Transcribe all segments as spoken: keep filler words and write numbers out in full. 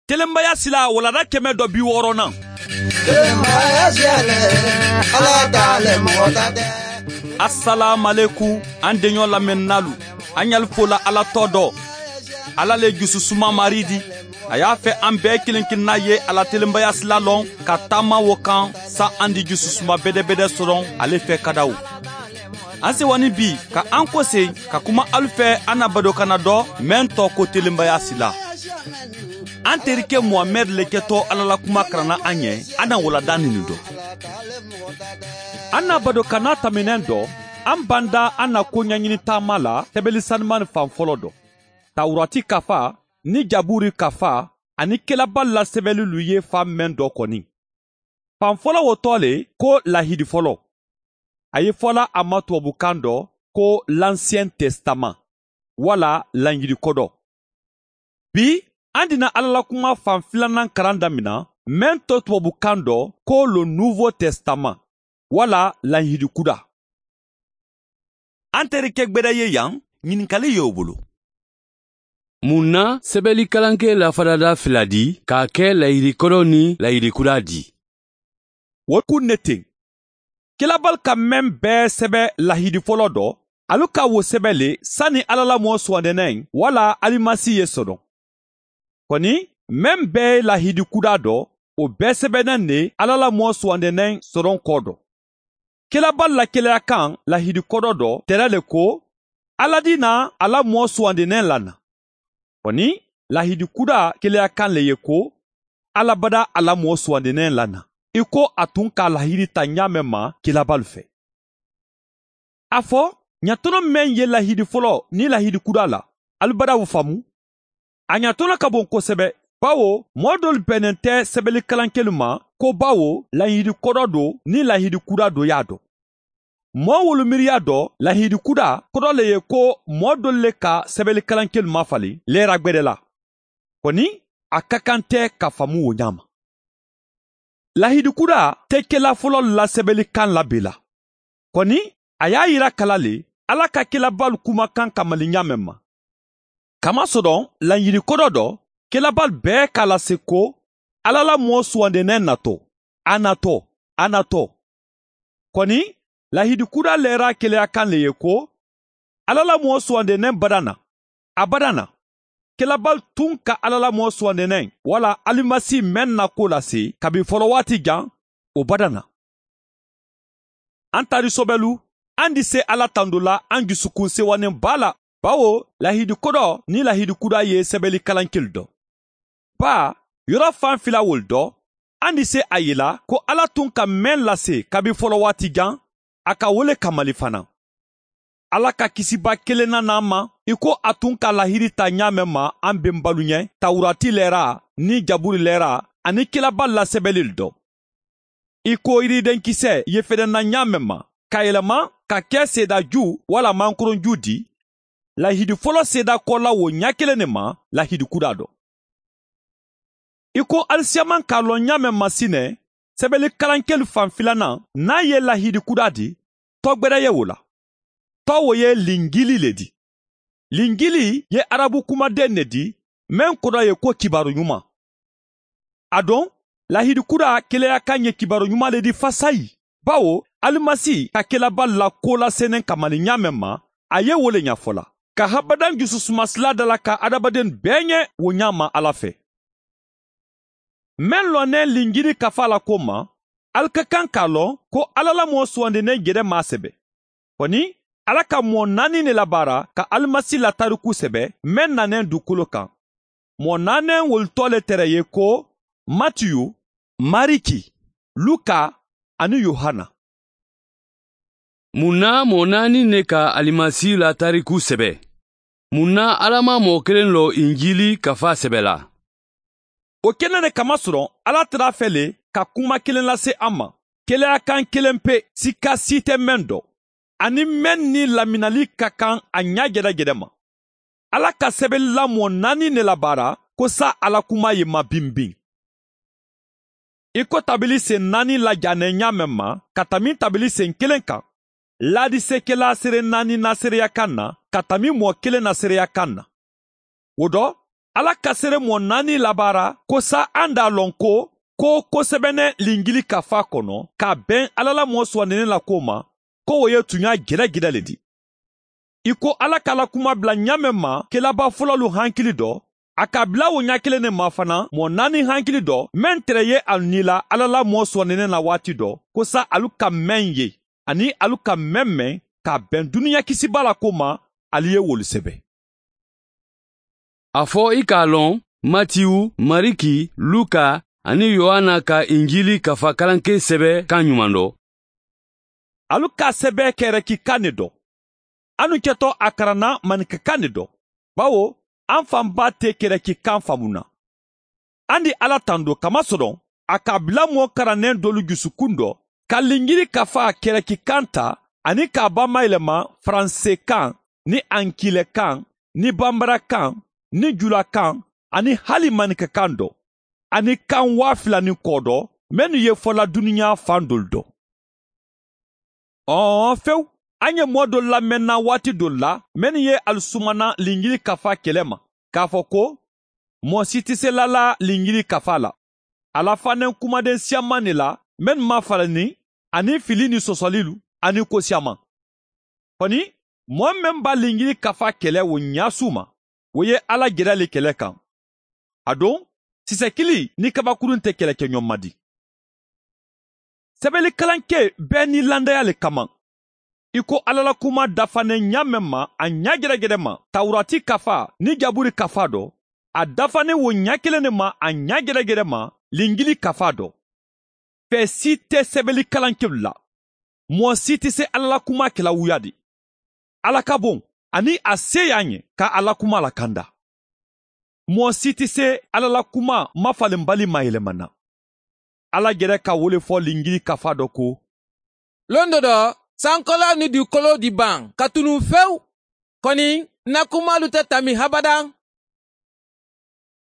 Telenbaya sila walanda kɛmɛ dɔ bi wɔɔrɔnan. Telenbaya sila le, Ala ta le, mɔgɔ ta tɛ. Asalaamalekum, an deɲɔ lamɛnninaalu, an ɲali fola Ala tɔ dɔ. Ala le jususuma Mari di. A y'a fɛ an bɛɛ kelen kelenna ye a la telenbaya sila lɔn ka taama wo kan, sa an di jususuma bedebede sɔrɔ ale fɛ kadaw. An sewanin bi ka an kose ka kuma alu fɛ an na badokana dɔ, meŋ tɔgɔ ko telenbaya sila. An terike muhamɛdi le kɛtɔ Ala la kuma karanna an ye, an na walanda nini dɔ. An na badokana tɛmɛnen dɔ, an banda an na ko ɲɛɲini taama la sɛbɛli sanumani fan fɔlɔ dɔ, tawurati kafa ni jaburi kafa ani kelabali la sɛbɛlilu ye fan meŋ dɔ kɔni. Fan fɔlɔ wo tɔgɔ le ko lahidi fɔlɔ. A ye fɔla a ma tubabukan dɔ ko l'ancien testament, wala laɲidi kodɔ. Bi, an dina Ala la kuma fan filanan karan damina, meŋ to tubabukan dɔ ko le nouveau testament, wala laɲidi kuda. An terike gbeda ye yan, ɲininkali ye o bolo. Mun na sɛbɛli kalankɛ lafadada fila di k'a kɛ lahidi kɔrɔ ni lahidi kura di? Wo kun ne ten. Kelabali ka meŋ bɛɛ sɛbɛ lahidi fɔlɔ dɔ, alu ka wo sɛbɛ le sani Ala la mɔɔ suwandennen wala Alimasi ye sɔdɔn. Kɔni, meŋ bɛɛ ye lahidi kuda dɔ, o bɛɛ sɛbɛnnen de Ala la mɔɔ suwandennen sɔdɔn kɔ dɔ. Kelabali la keleya kan lahidi kɔdɔ dɔ tɛrɛ le ko, Ala di na a la mɔɔ suwandennen lana. Kɔni, lahidi kuda keleya kan le ye ko, Ala bada a la mɔɔ suwandennen lana, i ko a tun ka lahidi ta ɲaamɛ ma kelabali fɛ. A fɔ, ɲatɔnɔ meŋ ye lahidi fɔlɔ ni lahidi kuda la, alu bada wo faamu. A ɲatɔnɔ ka bon kosɛbɛ, bawo mɔɔ dolu bɛnnen tɛ sɛbɛli kalankelu ma, ko bawo lahidi kɔdɔ don ni lahidi kuda don y'a dɔn. Mɔɔ wolu miiriya dɔ, lahidi kuda kɔdɔ le ye ko mɔɔ dolu le ka sɛbɛli kalankelu mafalen leera gbɛdɛ la. Kɔni, a ka kan tɛ ka faamu wo ɲaama. Lahidi kuda tɛ kela fɔlɔ la sɛbɛli kan la bee la. Kɔni, a y'a yira kala le Ala ka kelabalu kumakan kamali ɲaamɛ ma. Kamasɔrɔ, lahidi kɔdɔ dɔ, kelabalu bɛɛ k'a lase ko, Ala la mɔɔ suwandennen natɔ, a natɔ, a natɔ. Kɔni, lahidi kuda leera keleya kan le ye ko, Ala la mɔɔ suwandennen badana, a badana. Kelabalu tun ka Ala la mɔɔ suwandennen wala Alimasi meŋ na ko lase kabi fɔlɔ waati jan, o badana. An taari sobɛlu, an di se Ala tando la an jusukun sewanen baa la, bawo lahidi kɔdɔ ni lahidi kuda ye sɛbɛli kalankelu dɔ. Baa, yɔrɔ fan fila wolu dɔ, an di se a yila ko Ala tun ka meŋ lase kabi fɔlɔ waati jan, a ka wo le kamali fana. Ala ka kisiba kelen na na ma, i ko a tun ka lahidi ta ɲaamɛ ma an benbalu ɲɛ, tawurati lɛra ni jaburi lɛra ani kelaba lasɛbɛli dɔ. I ko yiridenkisɛ ye fɛnɛ na ɲaamɛ ma, ka yɛlɛma ka kɛ seedaju wala mankoronju di, lahidi fɔlɔ seeda kɔla wo ɲa kelen ne ma, lahidi kuda dɔ. I ko alisiyaman k'a lɔn ɲaamɛ masinɛ, sɛbɛli kalankeli fan filanan n'a ye lahidi kuda di, tɔgwɛrɛ ye wo la. Tɔ wo ye linjili le di. Linjili ye arabu kumaden ne di, meŋ kodɔ ye ko kibaru ɲuman. A don, lahidi kuda keleya kan ye kibaru ɲuman le di fasayi, bawo alimasi ka kelaba la ko lasenen kamali ɲaamɛ ma, a ye wo le ɲafɔ la, ka habadan jususumasila dala ka adamaden bɛɛ ɲɛ wo ɲaama Ala fɛ. Meŋ lɔnnen linjili kafa la ko ma, ali ka kan k'a lɔn ko Ala la mɔɔ suwandinnen jɛrɛ m'a sɛbɛ. Kɔni, Ala ka mɔɔ naani ne labaara ka alimasi la tariku sɛbɛ, meŋ nanen dukolo kan. Mɔɔ naanɛn wolu tɔ le tere ye ko, Matiyu, Mariki, Luka, ani Yohana. Mun na mɔɔ naani ne ka alimasi la tariku sɛbɛ? Mun na Ala ma mɔɔ kelen lɔ injili kafa sɛbɛ la? O kɛnɛ ne kamasɔrɔ, Ala tara a fɛ le ka kuma kelen lase an ma, keleya kan kelen pe, sika si tɛ meŋ dɔ, ani meŋ ni laminali ka kan a ɲa jɛdɛjɛdɛ ma. Ala ka sɛbɛli la mɔɔ naani ne labaara ko sa Ala kuma ye ma binbin. I ko tabili sen naani lajanɛ ɲaamɛ ma ka tami tabili sen kelen kan, laadisekela sere naani na seereya kan na ka tami mɔɔ kelen na seereya kan na. Wo dɔ, Alla ka seere moo naani labaara ko saayiŋ a loŋ ko ko ko sebeneŋ linjili kafaa kono ka a beŋ alla la moo suwandinee la kuwo ma, ko wo ye tuɲaa jere-jere le ti. Ì ko alla ka a la kumaa bula ñaameŋ ma kelabaa fololu hankili do, a ka a bula wo ñaa keleŋ ne ma fanaa moo naani hankili do meŋ tere ye a niila alla la moo suwandinee la waati do, ko saayiŋ ali ka meŋ ye aniŋ ali ka meŋ meŋ ka a beŋ duniyaa kisibaa la kuwo ma, ali ye wolu sebe. A fo i ka a loŋ, matiyu, mariki, luka, aniŋ yohana ka injili kafa kalankee sebe kaŋ ɲumando. Ali ka a sebe kereki kaŋ ne do. Anu keto a karanna manika kaŋ ne do, bawo an faŋ baa te kereki kaŋ faamu na. An di alla tando kamasoloŋ, a ka a bila moo karanneŋ doolu jusukun do ka linjili kafa kereki kaŋ ta, aniŋ ka a bamma yelema faranse kaŋ, niŋ ankile kaŋ, niŋ bambara kaŋ, niŋ jula kaŋ, aniŋ hali manika kaŋ do, aniŋ kaŋ waa fila niŋ koo do mennu ye fo la duniyaa faŋ doolu do. Ɔɔ fewu, a ye moo doolu lameŋ na waati doolu la mennu ye ali sumana linjili kafa kele ma, ka a fo ko moo si ti se la la linjili kafa la. A la faneŋ kumadeŋ siyamaŋ ne la mennu maŋ fala niŋ aniŋ fili niŋ sosolilu aniŋ ko siyamaŋ. Koni, moo meŋ be a linjili kafa kele wo ñaasuuma, wo ye alla jerali kele kaŋ. Aduŋ, sisekili niŋ kabakurun te kele ke ñoŋ ma di. Sebeli kalankee bee niŋ landaya le kamaŋ. I ko alla la kumaa dafaneŋ ñaameŋ ma a ñaajerejere ma tawuraati kafaa niŋ jaburi kafaa do, a dafaneŋ wo ñaa keleŋ ne ma a ñaajerejere ma linjili kafaa do. Fee si te sebeli kalankelu la. Moo si ti se alla la kumaa kela wuyadi. Alla ka boŋ aniŋ a seeyaa ñe ka a la kumaa la kanda. Moo si ti se alla la kumaa mafalenbali ma yelema na. Alla jere ka wo le fo linjili kafaa do ko, londo do sankoloo ni duukoloo di baŋ ka tunu fewu. Koni n na kumaalu te tambi habadaŋ.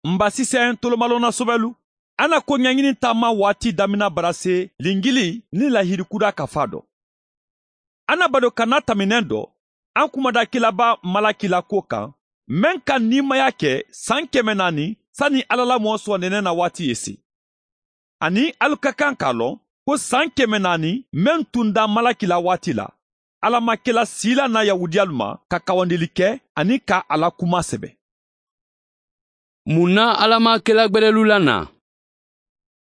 M ba siseŋ tolomalonna sobelu, a na koɲaɲini taama waati damina barase linjili niŋ lahidi kudaa kafaa do. A na bado ka na tamineŋ do, a kumada kilaba malaki la kuwo kaŋ, meŋ ka niimaya ke saŋ keme naani sani alla la moo suwandinee na waati ye si. Aniŋ ali ka kaŋ ka a loŋ ko saŋ keme naani meŋ tunda malaki la waati la, alla maŋ ke la siila na yahudiyalu ma ka kawandili ke aniŋ ka a la kumaa sebe. Mun na alla maŋ ke la gbelelu la na?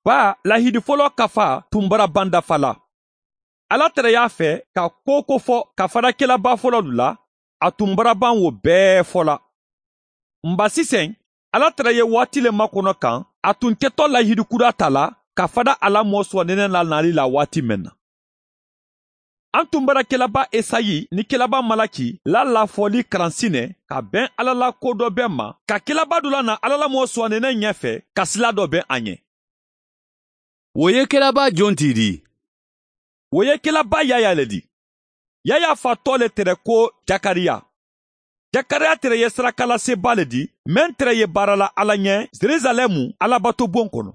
Baa lahidi foloo kafaa tun bara baŋ dafa la. Alla tereyaa fee ka ko wo ko fo ka fada kelabaa fololu la, a tun bara baŋ wo bee fo la. M ba siseŋ, alla tere ye waati le makono kaŋ a tun keto lahidi kudaa taa la ka fada a la moo suwandinee la naali la waati meŋ na. A tun bara kelabaa esayi niŋ kelabaa malaki la lafooli karansi ne ka beŋ alla la ko do beŋ ma, ka kelabaa dulaa na alla la moo suwandinee ñee fee ka silaa do beŋ a ñe. Wo ye kelabaa joŋ ti di? Wo ye kelabaa yaayaa le di. Yaayaa faa too le tere ko jakariya. Jakariya tere ye sarakalaseebaa le di meŋ tere ye baara la alla ñe jerusalɛmu allabato boŋ kono.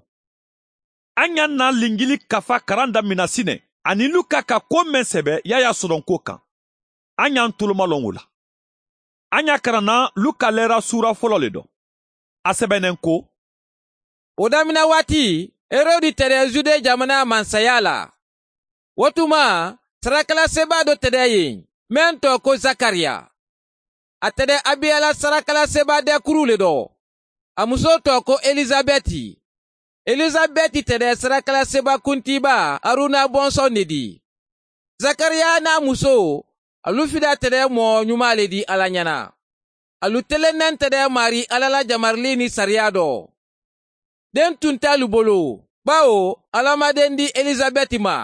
A ñaŋ na linjili kafa karaŋ damina sine aniŋ luka ka ko meŋ sebe yaayaa soronko kaŋ. A ñaŋ tolomaloŋ wo la. A ñaŋ karanna luka leera suura folo le do. A sebeneŋ ko, wo damina waati herodi tere jude jamanaa mansayaa la. Wo tuma sarakalaseebaa do tere ye meŋ too ko zakariya. A tere abiya la sarakalaseebaa deekuru le do. A musoo too ko elisabeti. Elisabeti tere sarakalaseebaa kuntiibaa haruna bonsoŋ ne di. Zakariya niŋ a musoo, alu fida tere moo ñumaa le di alla ñana. Alu telenneŋ tere maarii alla la jamariliini sariyaa do. Deŋ tun te alu bulu, bawo alla maŋ deŋ di elisabeti ma.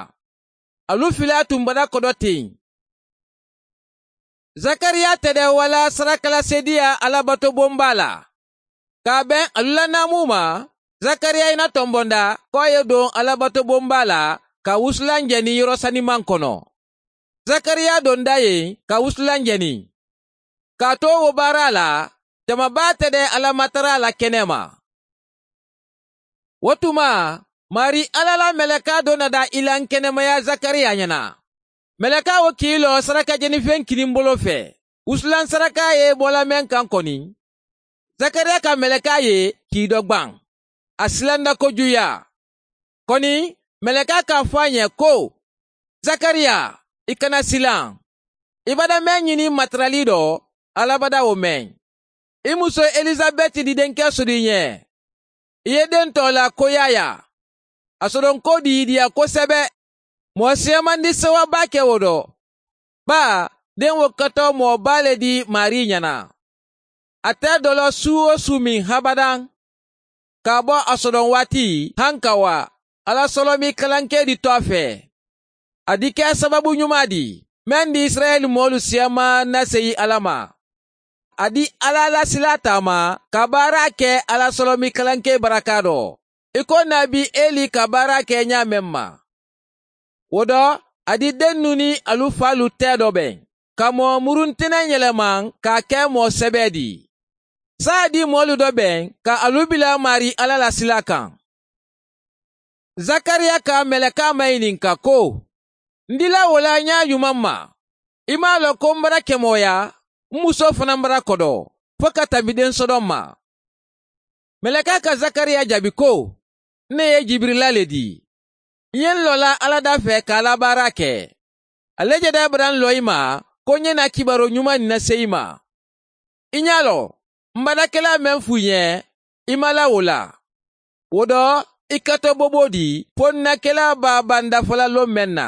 Alu filaa tun bada kodo teŋ. Zakariya tede wala sarakala sediya alabato bombaa la. Ka a beŋ alu la naamu ma, zakariya i na tombonda ko a ye doŋ alabato bombaa la ka wusulan jeni yerusalimaŋ kono. Zakariya donda ye ka wusulan jeni. Ka a to wo baaraa la, jama baa tede alla matara la kene ma. Wo tuma, maarii alla la melekaa do na daa i la n kenemaya zakariya ñana. Melekaa wo kiiloo saraka jenifeŋ kinimbolo fee, wusulan sarakaa ye i bo la meŋ kaŋ koni. Zakariya ka melekaa ye kii dɔ gbaŋ. A silanda kojuya. Kɔni, melekaa ka a fo a ɲɛ ko, zakariya, i kana silan. I bada meŋ ɲini matarali dɔ, alla bada wo meŋ. I muso elisabɛti di denkɛ soto i ɲɛ. I ye den tɔɔla ko yaya. A sodonko diidiya kosɛbɛ. Moo seemandi sewa baa ke wo do. Baa, den wo kato moo baa le di maarii ɲana. A te dolo suu wo suu miŋ habadaŋ. Ka a bo a sodonwaati, hanka wa, alla solomi kalankee di to a fee. A di ke sababu ɲumaa di, meŋ di isirayila moolu seema na seyi alla ma. A di alla la silaa taama ka baara ke alla solomi kalankee barakaa do, i ko naabi eli ka baara ke ɲaa meŋ ma. Wo do, a di dennu niŋ alu faalu tee do beŋ, ka moo muruntineŋ yelemaŋ ka a ke moo sebee di. Saayiŋ a di moolu do beŋ ka alu bila maarii alla la silaa kaŋ. Zakariya ka melekaa mayininka ko, n dila wo la ɲaa ɲumaŋ ma? I maŋ a loŋ ko m bara kemooya, m musoo fanaŋ bara kodoo, fo ka tambi densodoŋ ma? Melekaa ka zakariya jaabi ko, n ne ye jibirila le di. N ye n loo la alla daa fee ka a la baara ke. A le je daa bara n loo i ma, ko n ye naa kibaaroo ɲumaa niŋ na seyi i ma. I ɲaa loŋ, m badakelaa meŋ fuu i ɲe, i ma laa wo la. Wo do, i kato booboo di fo n na kelaa baa baa n dafa la loŋ meŋ na.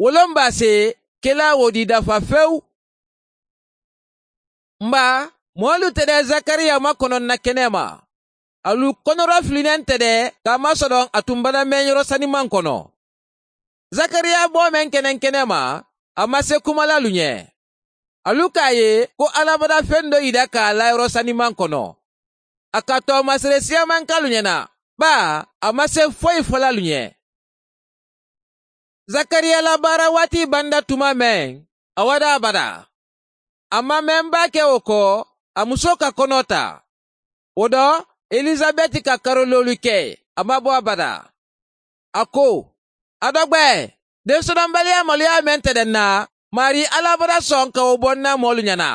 Wo loŋ baa se kelaa wo di dafa fewu. M baa, moolu te de zakariya ma kono n na kenee ma. Alu konoro filinaŋ te de ka a masodoŋ a tuŋ bada meŋ yoro sanimaŋ kono. Zakariya boo meŋ keneŋ kenee ma, a ma se kuma la alu ɲe. Alu ka a ye ko alla bada feŋ do yida ka a la yoro sanimaŋ kono. A ka toomasere siyamaŋ ke alu ɲena, baa, a ma se foyi fo la alu ɲe. Zakariya la baara waati banta tuma meŋ, a wada abada. A maŋ meŋ baa ke wo ko, a musoo ka konoo taa. Wo do, elisabeti ka karooloolu ke, a maŋ bo abada. A ko, a dogbe, densodoŋ baliyaa maluyaa meŋ te de n na, maarii alla bada soŋ ka wo bo n na moolu ɲana.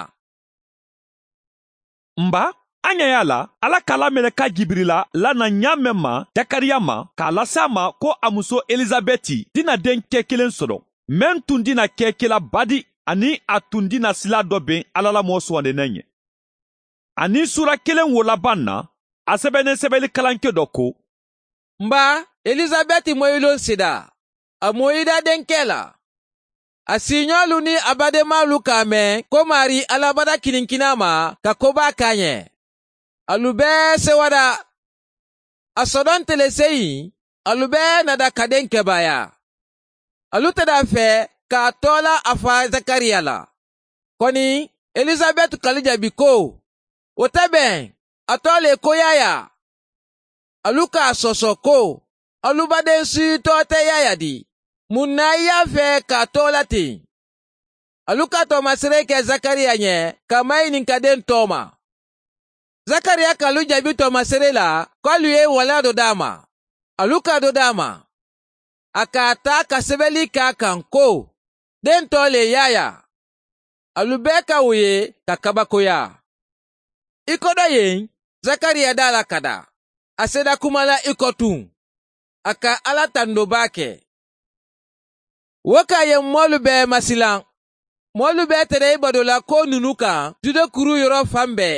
M baa, a ɲaa ye a la, alla ka a la meleka jibirila la naŋ ɲaa meŋ ma, zakariya ma, ka a lasi a ma ko a musoo elisabeti ti na deŋ kee kiliŋ soto, meŋ tuŋ ti na kee kila badi, aniŋ a tuŋ ti na silaa do beŋ alla la moo suwandineŋ ye. Aniŋ suura kiliŋ wo labaŋ na, a sebeneŋ sebelikalankee do ko, m baa, elisabeti moyiloŋ sida, a moyida denkee la. A siiñoolu niŋ a bademaalu ka a meŋ ko maarii alla bada kininkinaa ma ka ko baa ke a ɲe. Alu bee sewada. A sodoŋ teleseyiŋ, alu bee nada ka deŋ kebaayaa. Alu te de a fee ka a toola a faa zakariya la. Koni, elisabeti ka alu jaabi ko, wo te beŋ, a too le ko yaayaa. Alu ka a soso ko, alu badensuyi too te yaayaa di? Muŋ na i ye a fee ka a toola teŋ? Alu ka toomasiree ke zakariya ɲe ka a mayininka deŋ too ma. Zakariya ka alu jaabi toomasiree la ko alu ye i walaa do daa a ma. Alu ka a do daa a ma. A ka a taa ka sebeli ke a kaŋ ko, deŋ too le yaayaa. Alu bee ka wo ye ka kabakoyaa. I kodo yeŋ, zakariya daa la ka daa, a seeda kuma la i kotuŋ. A ka alla tandoo baa ke. Wo ka a ye moolu bee masilaŋ. Moolu bee te de i badoo la koo nunu kaŋ jude kuruu yoroo faŋ bee.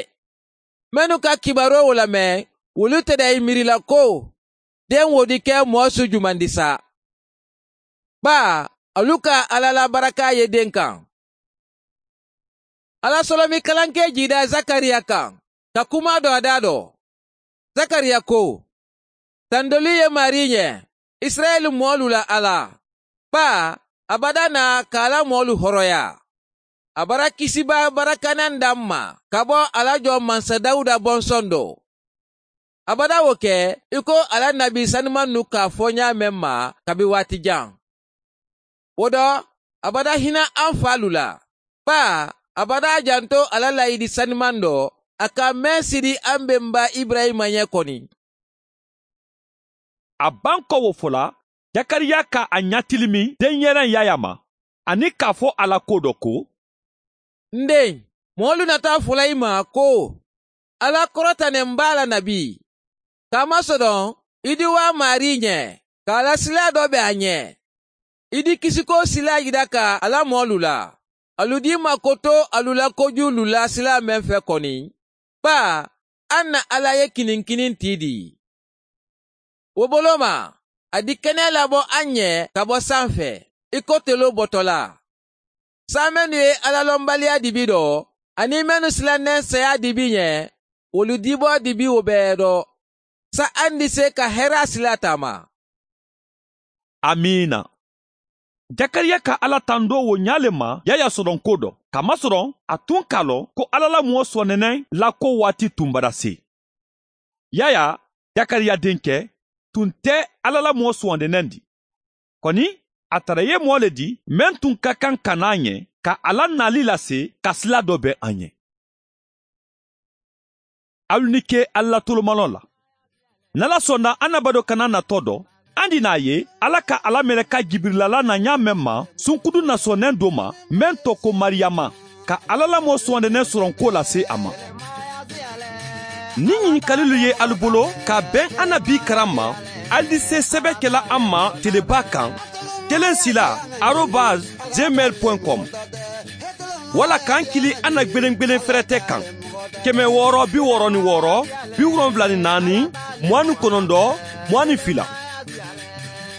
Mennu ka kibaaroo wo lameŋ, wolu te de i miiri la ko, deŋ wo di ke moo su jumandi sa? Baa, alu ka alla la barakaa ye deŋ kaŋ. Alla solomi kalankee jiida zakariya kaŋ, ka kuma do a daa do. Zakariya ko, tandoli ye maarii ɲe, isirayila moolu la alla, baa, a bada naa ka a la moolu horoyaa. A bara kisibaa barakanaŋ daa m ma ka bo a la jɔŋ mansa dawuda bonsoŋ do. A bada wo ke i ko a la nabi sanimannu ka a fo ɲaa meŋ ma kabi waati jaŋ. Wo do, a bada hina aŋ faalu la, baa, a bada a janto a la laayidi sanimaŋ do a ka meŋ sidi aŋ bemba iburayima ɲe koni. A baŋ ko wo fo la, zakariya ka a ɲatilimi denyeraŋ yaayaa ma, aniŋ ka a fo a la kuwo do ko, n deŋ, moolu nata a fo la i ma ko, Alla korota ne m baa la nabi. Kaamasoroŋ i di waa maarii ñe ka a la silaa doo be a ñe. I di kisikoo silaa yita ka a la moolu la. Alu dii ma koto alu la kojuulu la silaa meŋ fe koni baa. Aŋ na alla ye kiniŋ kiniŋ tii dii. Wo boloo ma a di kenee la bo aŋ ñe ka bo saŋ fe i ko teloo boto la. Saa mennu ye alla lombaliyaa dibi doo aniŋ mennu silanneŋ seyaa dibi ñe wolu diboo dibi wo bee doo. Sa aŋ di see ka heraa silaa taama. Amiina. Jakariya ka alla tandoo wo ñaa le ma yaayaa sodonkoo do. Kaamasoroŋ a tuŋ ka a loŋ ko alla la moo suwandeneŋ la koo waati tuŋ badasee. Yaayaa, jakariya deŋ ke, tuŋ te alla la moo suwandeneŋ di. Koni a tara ye moo le di meŋ tuŋ ka kaŋ ka naa ñe ka a la naali lase ka silaa doo be a ñe. Alu ni ke alla la tolomaloo la. N na la sonda annabadoo kana natoo do aŋ di naa ye alla ka a la meleka jibirila la na ñaa meŋ ma sunkudu na soneŋ doo ma meŋ to ko mariyama, ka alla la moo suwandeneŋ soronkuwo lase a ma. Niŋ ñiŋ kalilu ye alu bolo ka a beŋ annabii karaŋ ma, alu di see sebe ke la aŋ ma telebaa kaŋ, teleŋ silaa arobas gmail point com. Walla ka aŋ kili aŋ na gbeneŋ gbeneŋ ferete kaŋ, keme wooro bi wooro ni wooro, bi woronbula ni naani, muwaŋ ni konondoo, muwaŋ ni fila.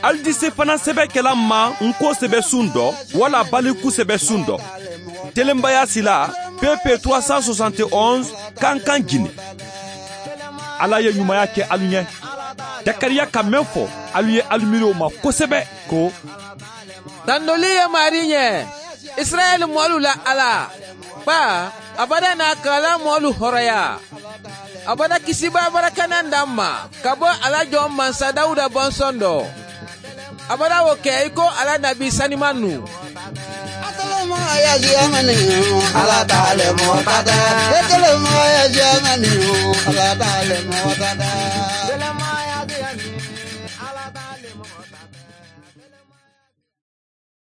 Alu di see fanaŋ sebe ke la aŋ ma ŋ koo sebe suŋ do walla baliku sebe suŋ do. Telembayaa silaa peepee trois cent soixante et onze kankaŋ jini. Alla ye ñumaya ke alu ñe. Jakariya ka meŋ fo alu ye alu miiriyo ma kosebe ko, tandolii ye maarii ñe, isirayila moolu la alla, baa a bada naa ka a la moolu horoyaa. A bada kisibaa barakananda m ma ka bo a la joŋ mansa dawuda bonsondoo. A bada wo ke i ko a la nabi sanimannu.